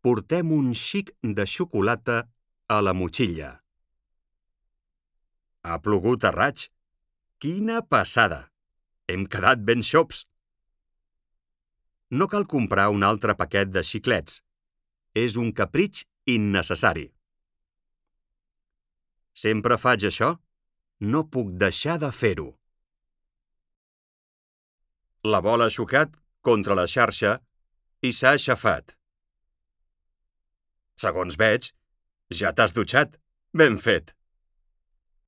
Portem un xic de xocolata a la motxilla. Ha plogut a raig. Quina passada! Hem quedat ben xops. No cal comprar un altre paquet de xiclets. És un capritx innecessari. Sempre faig això? No puc deixar de fer-ho. La bola ha xocat contra la xarxa i s'ha aixafat. Segons veig, ja t'has dutxat. Ben fet!